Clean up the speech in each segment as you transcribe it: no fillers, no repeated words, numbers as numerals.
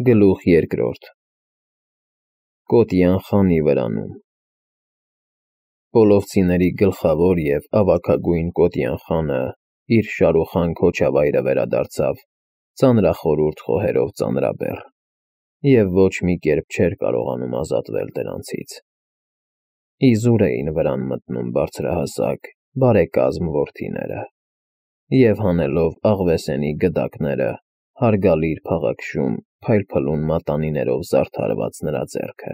Գլուխ երկրորդ Կոտյան խանի վրանում Պոլովցիների գլխավոր և ավագագույն Կոտյան խանը իր շարուխան քոչավայրը վերադարձավ ծանրախորհուրդ խոհերով ծանրաբեռ և ոչ մի կերպ չէր կարողանում ազատվել դրանցից։ Իզուր էին վրան մտնում բարձրահասակ, բարեկազմ որդիները և հանելով աղվեսենի գդակները, հարգալիր փաղաքշում փայլփլուն մատանիներով զարդարված նրա ձեռքը։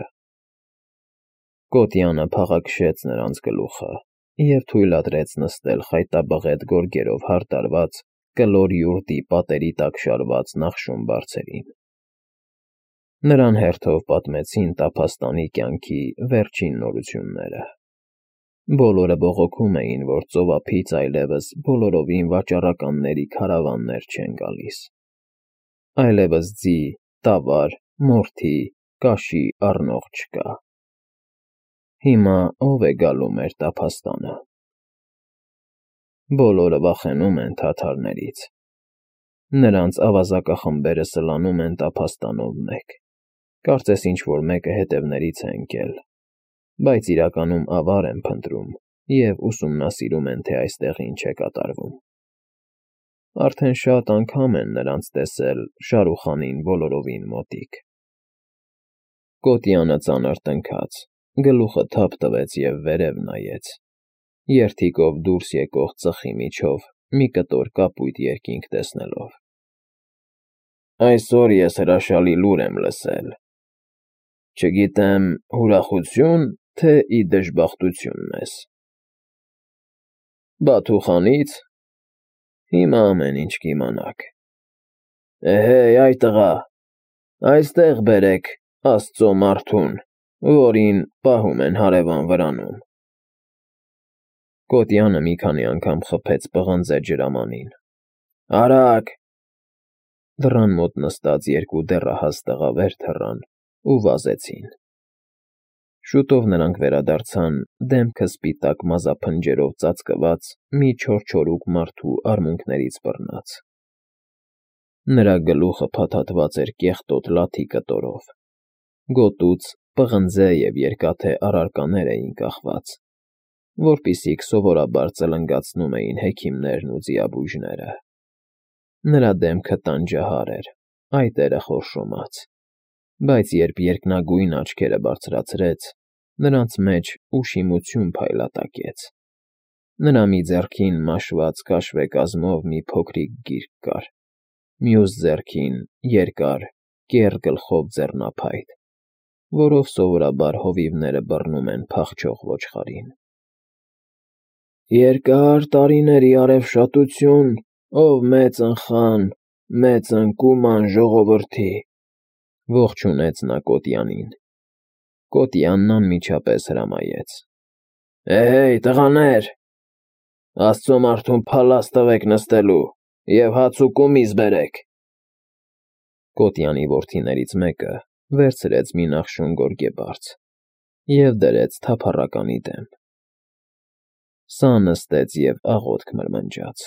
Կոտյանը փաղաքշեց նրանց գլուխը և թույլատրեց նստել խայտաբղետ գորգերով հարդարված կլոր յուրտի պատերի տակ շարված նախշում բարձերին։ Նրան հերթով պատմեցին տափաստանի կյանքի վերջին նորությունները։ Բոլորը բողոքում էին, որ ծովափից այլևս բոլորովին վաճառականների քարավաններ չեն գալիս։ Այլևս ձի, տավար, մորթի, կաշի առնող չկա։ Հիմա ո՞վ է գալու մեր տափաստանը։ Բոլորը վախենում են թաթարներից։ Նրանց ավազակախմբերը սլանում են տափաստանով մեկ, կարծես ինչ-որ մեկը հետևներից է ընկել, բայց իրականում ավար են փնտրում և ուսումնասիրում են, թե այստեղ ինչ է կատարվում։ Արդեն շատ անգամ են նրանց տեսել Շարուխանին բոլորովին մոտիկ։ Կոտյանը ծանր տնքաց, գլուխը թափ տվեց և վերև նայեց, երդիկով դուրս եկող ծխի միջով մի կտոր կապույտ երկինք տեսնելով։ Այսօր ես հրաշալի լուր եմ լսել։ Չգիտեմ ուրախությո՞ւն, թե ի դժբախտություն մեզ։ Բաթու խանից։ Հիմա ամեն ինչ կիմանաք։ Էհեյ, այ տղա, այստեղ բերեք Աստծո մարդուն, որին պահում են հարևան վրանում։ Կոտյանը մի քանի անգամ խփեց պղնձե ջրամանին։ Արագ։ Դռան մոտ նստած երկու դեռահաս տղա վեր թռան ու վազեցին։ Շուտով նրանք վերադարձան դեմքը սպիտակ մազափնջերով ծածկված մի չորչորուկ մարդու արմունկներից բռնած։ Նրա գլուխը փաթաթված էր կեղտոտ լաթի կտորով, գոտուց պղնձե և երկաթե առարկաներ էին կախված, որպիսիք սովորաբար ծլնգացնում էին հեքիմներն ու ձիաբույժները։ Նրա դեմքը տանջահար էր, այտերը խորշոմած, բայց երբ երկնագույն աչքերը բարձրացրեց, նրանց մեջ ուշիմություն փայլատակեց։ Նրա մի ձեռքին մաշված քաշվե կազմով մի փոքրիկ գիրք կար, մյուս ձեռքին երկար, կեռ գլխով ձեռնափայտ, որով սովորաբար հովիվները բռնում են փախչող ոչխարին։ Երկար տարիների արևշատություն, ով մեծն խան, մեծն կուման ժողովրդի, ողջունեց նա Կոտյանին։ Կոտյանն անմիջապես հրամայեց. Էհեյ, տղաներ, Աստծո մարդուն փալաս տվեք նստելու և հաց ու կումիզ բերեք։ Կոտյանի որդիներից մեկը վերցրեց մի նախշուն գորգեբարձ և դրեց թափառականի դեմ։ Սա նստեց և աղոթք մրմնջաց։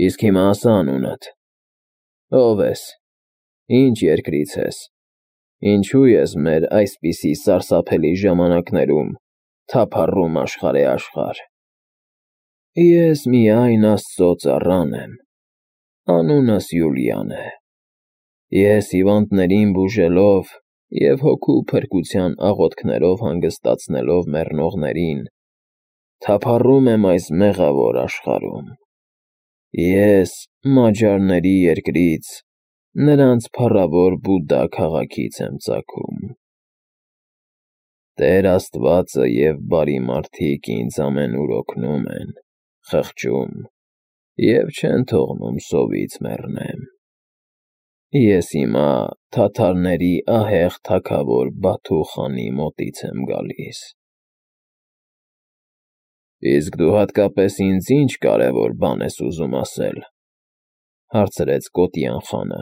Իսկ հիմա ասա անունդ, ո՞վ ես, ինչ երկրից ես, ինչու ես մեր այսպիսի սարսափելի ժամանակներում թափառում աշխարհեաշխարհ։ Ես միայն Աստծո ծառան եմ, անունս Յուլիան է։ Ես հիվանդներին բուժելով և հոգու փրկության աղոթքներով հանգստացնելով մեռնողներին, թափառում եմ այս մեղավոր աշխարհում։ Ես Մաջարների երկրից, նրանց փառավոր Բուդդա քաղաքից եմ ծագում։ Տեր Աստվածը և բարի մարդիկ ինձ ամենուր օգնում են, խղճում և չեն թողնում սովից մեռնեմ։ Ես հիմա թաթարների ահեղ թագավոր Բաթու խանի մոտից եմ գալիս։ Իսկ դու հատկապես ինձ ինչ կարևոր բան ես ուզում ասել, հարցրեց Կոտյան խանը։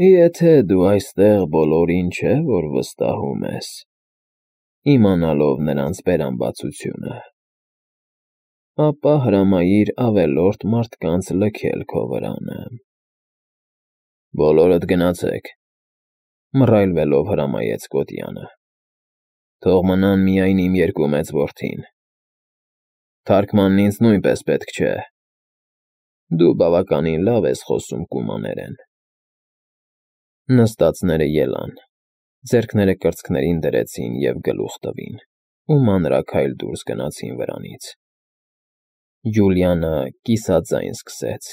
Եթե դու այստեղ բոլորին չէ, որ վստահում ես, իմանալով նրանց բերամբացությունը, ապա հրամայիր ավելորդ մարդկանց լքել քո վրանը։ Բոլորդ գնացեք, մռայլվելով հրամայեց Կոտյանը։ Թող մնան միայն իմ երկու մեծ որդին։ Թարգմանն ինձ նույնպես պետք չէ։ Դու բավականին լավ ես խոսում կումաներեն։ Նստածները ելան, ձեռքները կրծքներին դրեցին և գլուխ տվին, ու մանրաքայլ դուրս գնացին վրանից։ Յուլիանը կիսաձայն սկսեց.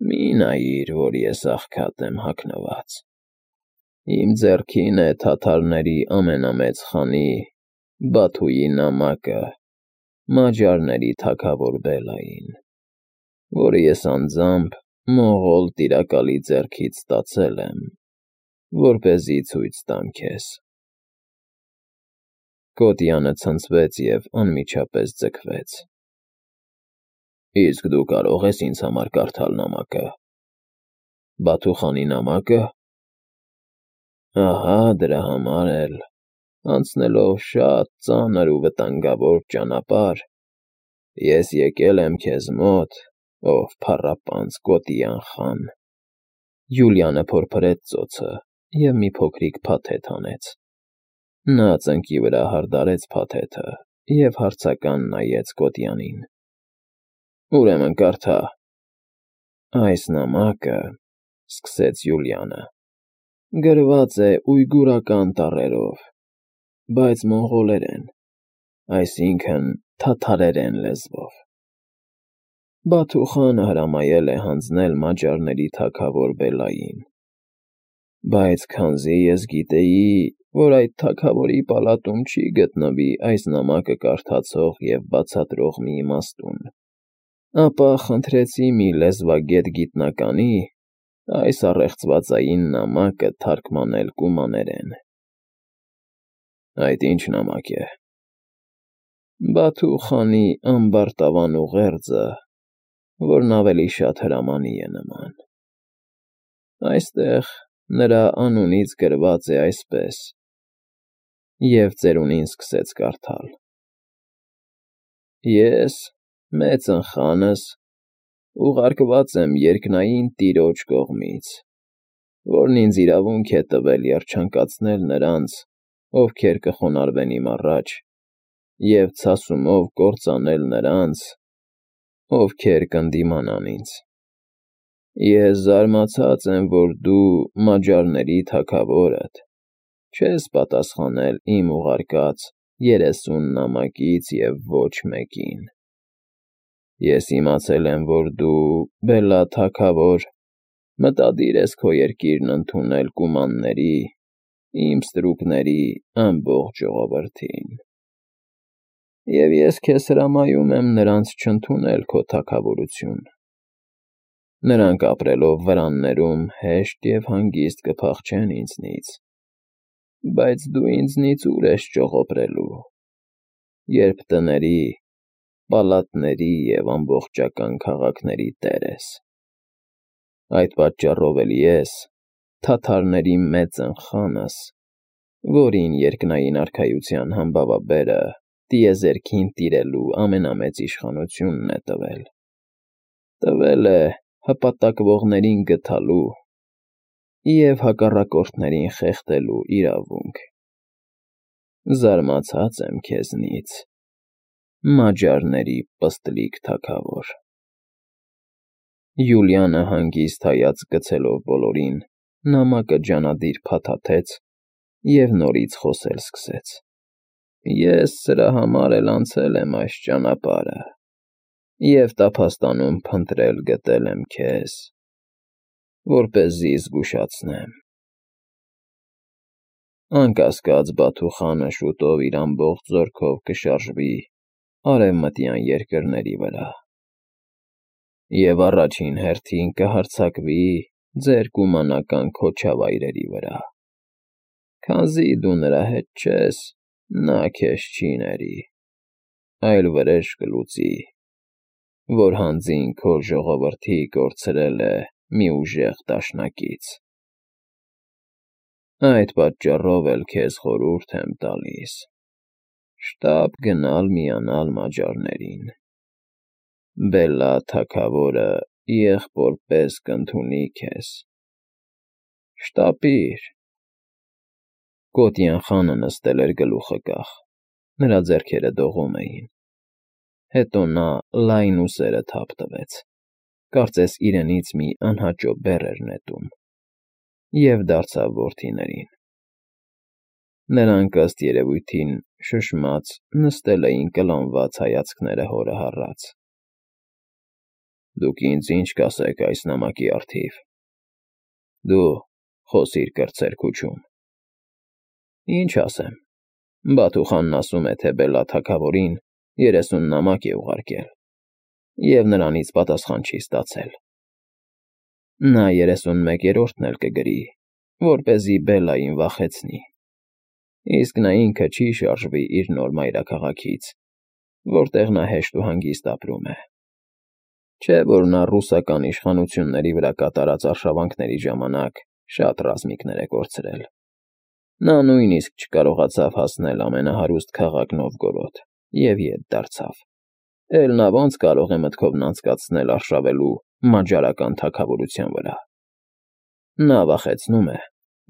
«Մի նայիր, որ ես աղքատ եմ հագնված։ Իմ ձեռքին է թաթարների ամենամեծ խանի՝ Բաթուի նամակը Մաջարների թագավոր Բելլային, որը ես անձամբ մողոլ տիրակալի ձեռքից ստացել եմ, որպեսզի ցույց տամ քեզ»։ Կոտյանը ցնցվեց և անմիջապես ձգվեց։ «Իսկ դու կարող ես ինձ համար կարդալ նամակը։ Բաթու խանի նամակը։ Ահա դրա համար էլ, անցնելով շատ ծանր ու վտանգավոր ճանապարհ, ես եկել եմ քեզ մոտ, ով փառապանծ Կոտյան խան»։ Յուլիանը փորփրեց ծոցը և մի փոքրիկ փաթեթ հանեց։ Նա ծնկի վրա հարդարեց փաթեթը և հարցական նայեց Կոտյանին։ «Ուրեմն կարդա»։ «Այս նամակը,» սկսեց Յուլիանը, «գրված է ույգուրական տառերով, բայց մոնղոլերեն, այսինքն թաթարերեն լեզվով։ Բաթու խանը հրամայել է հանձնել Մաջարների թագավոր Բելլային, բայց քանզի ես գիտեի, որ այդ թագավորի պալատում չի գտնվի այս նամակը կարդացող և բացատրող մի իմաստուն, ապա խնդրեցի մի լեզվագետ գիտնականի այս առեղծվածային նամակը թարգմանել կումաներեն»։ «Այդ ի՞նչ նամակ է»։ «Բաթու խանի ամբարտավան ուղերձը, որն ավելի շատ հրամանի է նման։ Այստեղ նրա անունից գրված է այսպես», և ծերունին սկսեց կարդալ. «Ես, մեծն խանս, ուղարկված եմ երկնային տիրոջ կողմից, որն ինձ իրավունք է տվել երջանկացնել նրանց, ովքեր կխոնարհվեն իմ առաջ, և ցասումով կործանել նրանց, ովքեր կընդդիմանան ինձ։ Ես զարմացած եմ, որ դու, Մաջարների թագավորդ, չես պատասխանել իմ ուղարկած 30 նամակից և ոչ մեկին։ Ես իմացել եմ, որ դու, Բելլա թագավոր, մտադիր ես քո երկիրն ընդունել կումանների, իմ ստրուկների ամբողջ ժողովրդին։ Եվ ես քեզ հրամայում եմ նրանց չընդունել քո թագավորություն։ Նրանք ապրելով վրաններում հեշտ և հանգիստ կփախչեն ինձնից, բայց դու ինձնից ուր ես ճողոպրելու, երբ տների, պալատների և ամբողջական քաղաքների տեր ես։ Այդ պատճառով էլ ես, թաթարների մեծն խանս, որին երկնային արքայության համբավաբերը տիեզերքին տիրելու ամենամեծ իշխանությունն է տվել։ Տվել է հպատակվողներին գթալու և հակառակորդներին խեղդելու իրավունք։ Զարմացած եմ քեզնից, Մաջարների պստլիկ թագավոր»։ Յուլիանը հանգիստ հայացք գցելով բոլորին, նամակը ջանադիր փաթաթեց և նորից խոսել սկսեց. «Ես սրա համար էլ անցել եմ այս ճանապարհը և տափաստանում փնտրել գտել եմ քեզ, որպեսզի զգուշացնեմ։ Անկասկած Բաթու խանը շուտով իր ամբողջ զորքով կշարժվի արևմտյան երկրների վրա և առաջին հերթին կհարձակվի ձեր կումանական քոչավայրերի վրա։ Քանզի դու նրա հետ չես, նա քեզ չի ների, այլ վրեժ կլուծի, որ հանձին քո ժողովրդի կորցրել է մի ուժեղ դաշնակից։ Այդ պատճառով էլ քեզ խորհուրդ եմ տալիս շտապ գնալ միանալ Մաջարներին։ Բելլա թագավորը եղբոր պես կընդունի քեզ։ Շտապիր։ Կոտյան խանը նստել էր գլուխը կախ, նրա ձեռքերը դողում էին։ Հետո նա լայն ուսերը թափ տվեց, կարծես իրենից մի անհաճո բեռ էր նետում, և դարձավ որդիներին։ Նրանք, ըստ երևույթին, շշմած նստել էին կլանված հայացքները հորը հառած։ Դուք ինձ ինչ կասեք այս նամակի առթիվ։ Դու խոսիր կրտսեր քուչում։ Ինչ ասեմ, Բաթուխանն ասում է, թե Բելլա թագավորին 30 նամակ է ուղարկել, և նրանից պատասխան չի ստացել։ Նա 31-րդն էլ կգրի, որպեսզի Բելլային վախեցնի, իսկ նա ինքը չի շարժվի իր նոր մայրաքաղաքից, որտեղ նա հեշտ ու հանգիստ ապրում է։ Չէ՞ որ նա ռուսական իշխանությունների վրա կատարած արշավանքների ժամանակ շատ ռազմիկներ է կորցրել։ Նա նույնիսկ չկարողացավ հասնել ամենահարուստ քաղաք Նովգորոդ և ետ դարձավ։ Էլ նա ո՞նց կարող է մտքովն անցկացնել արշավելու մաջարական թագավորության վրա։ Նա վախեցնում է,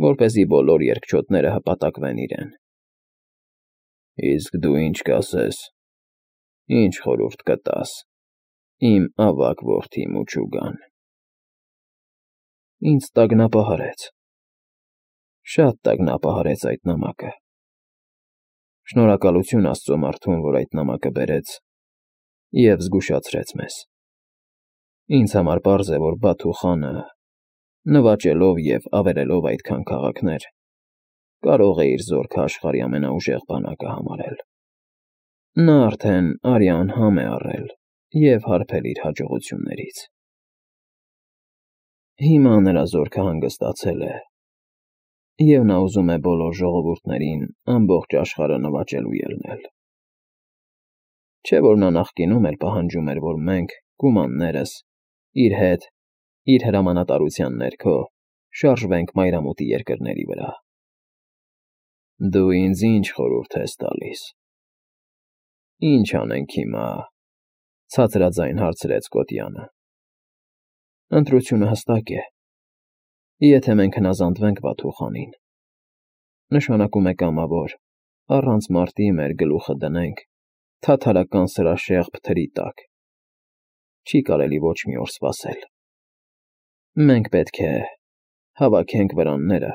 որպեսզի բոլոր երկչոտները հպատակվեն իրեն։ Իսկ դու ինչ կասես, ինչ խորհուրդ կտաս, իմ ավագ որդի Մուչուգան։ Ինձ տագնապահարեց, շատ տագնապահարեց այդ նամակը։ Շնորհակալություն Աստծո մարդուն, որ այդ նամակը բերեց և զգուշացրեց մեզ։ Ինձ համար պարզ է, որ Բաթու խանը, նվաճելով և ավերելով այդքան քաղաքներ, կարող է իր զորքը աշխարհի ամենաուժեղ բանակը համարել։ Նա արդեն արյան համ է առել և հարբել իր հաջողություններից։ Հիմա նրա զորքը հանգստացել է, և նա ուզում է բոլոր ժողովուրդներին ամբողջ աշխարհը նվաճելու ելնել։ Չէ՞ որ նա նախկինում էլ պահանջում էր, որ մենք, կումաններս, իր հետ, իր հրամանատարության ներքո, շարժվենք մայրամուտի երկրների վրա։ Դու ինձ ինչ խորհուրդ ես տալիս։ Ինչ անենք հիմա, ցածրաձայն հարցրեց Կոտյանը։ Ընտրությունը հստակ է։ Եթե մենք հնազանդվենք Բաթու խանին, նշանակում է կամավոր, առանց մարտի մեր գլուխը դնենք թաթարական սրաշեղբ թրի տակ։ Չի կարելի ոչ մի օր սպասել։ Մենք պետք է հավաքենք վրանները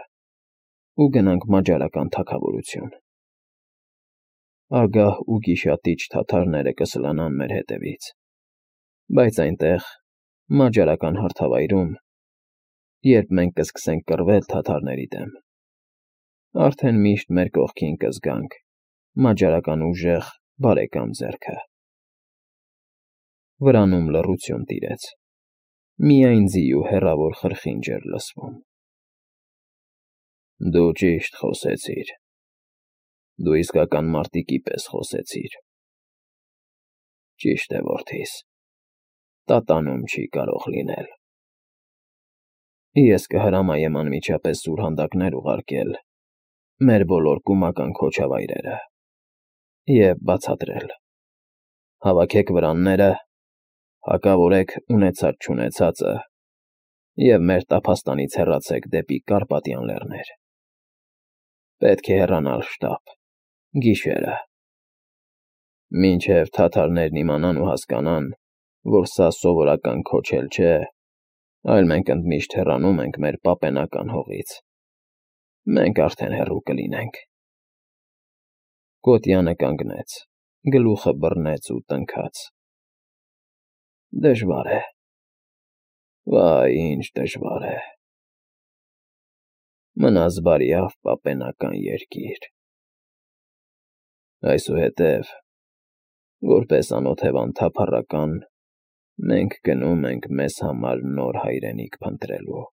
ու գնանք մաջարական թագավորություն։ Ագահ ու գիշատիչ թաթարները կսլանան մեր հետևից, բայց այնտեղ, մաջարական հարթավայրում, երբ մենք կսկսենք կռվել թաթարների դեմ, արդեն միշտ մեր կողքին կզգանք մաջարական ուժեղ բարեկամ ձեռքը։ Վրանում լռություն տիրեց, միայն ձիու հեռավոր խրխինջ էր լսվում։ Դու ճիշտ խոսեցիր։ Դու իսկական մարտիկի պես խոսեցիր։ Ճիշտ է, որդիս, տատանում չի կարող լինել։ Ես կհրամայեմ անմիջապես սուրհանդակներ ուղարկել մեր բոլոր կումական քոչավայրերը և բացատրել. հավաքեք վրանները, հակավորեք ունեցած֊չունեցածը և մեր տափաստանից հեռացեք դեպի Կարպատյան Լեռներ։ Պետք է հեռանալ շտապ, գիշերը։ Մինչև թաթարներն իմանան ու հասկանան, որ սա սովորական քոչ էլ չէ, այլ մենք ընդմիշտ հեռանում ենք մեր պապենական հողից, մենք արդեն հեռու կլինենք։ Կոտյանը կանգնեց, գլուխը բռնեց ու տնքաց։ Դժվար է, վայ, ինչ դժվար է։ Մնաս բարյավ պապենական երկիր։ Այսուհետև, որպես անօթևան թափառական, մենք գնում ենք մեզ համար նոր հայրենիք փնտրելու։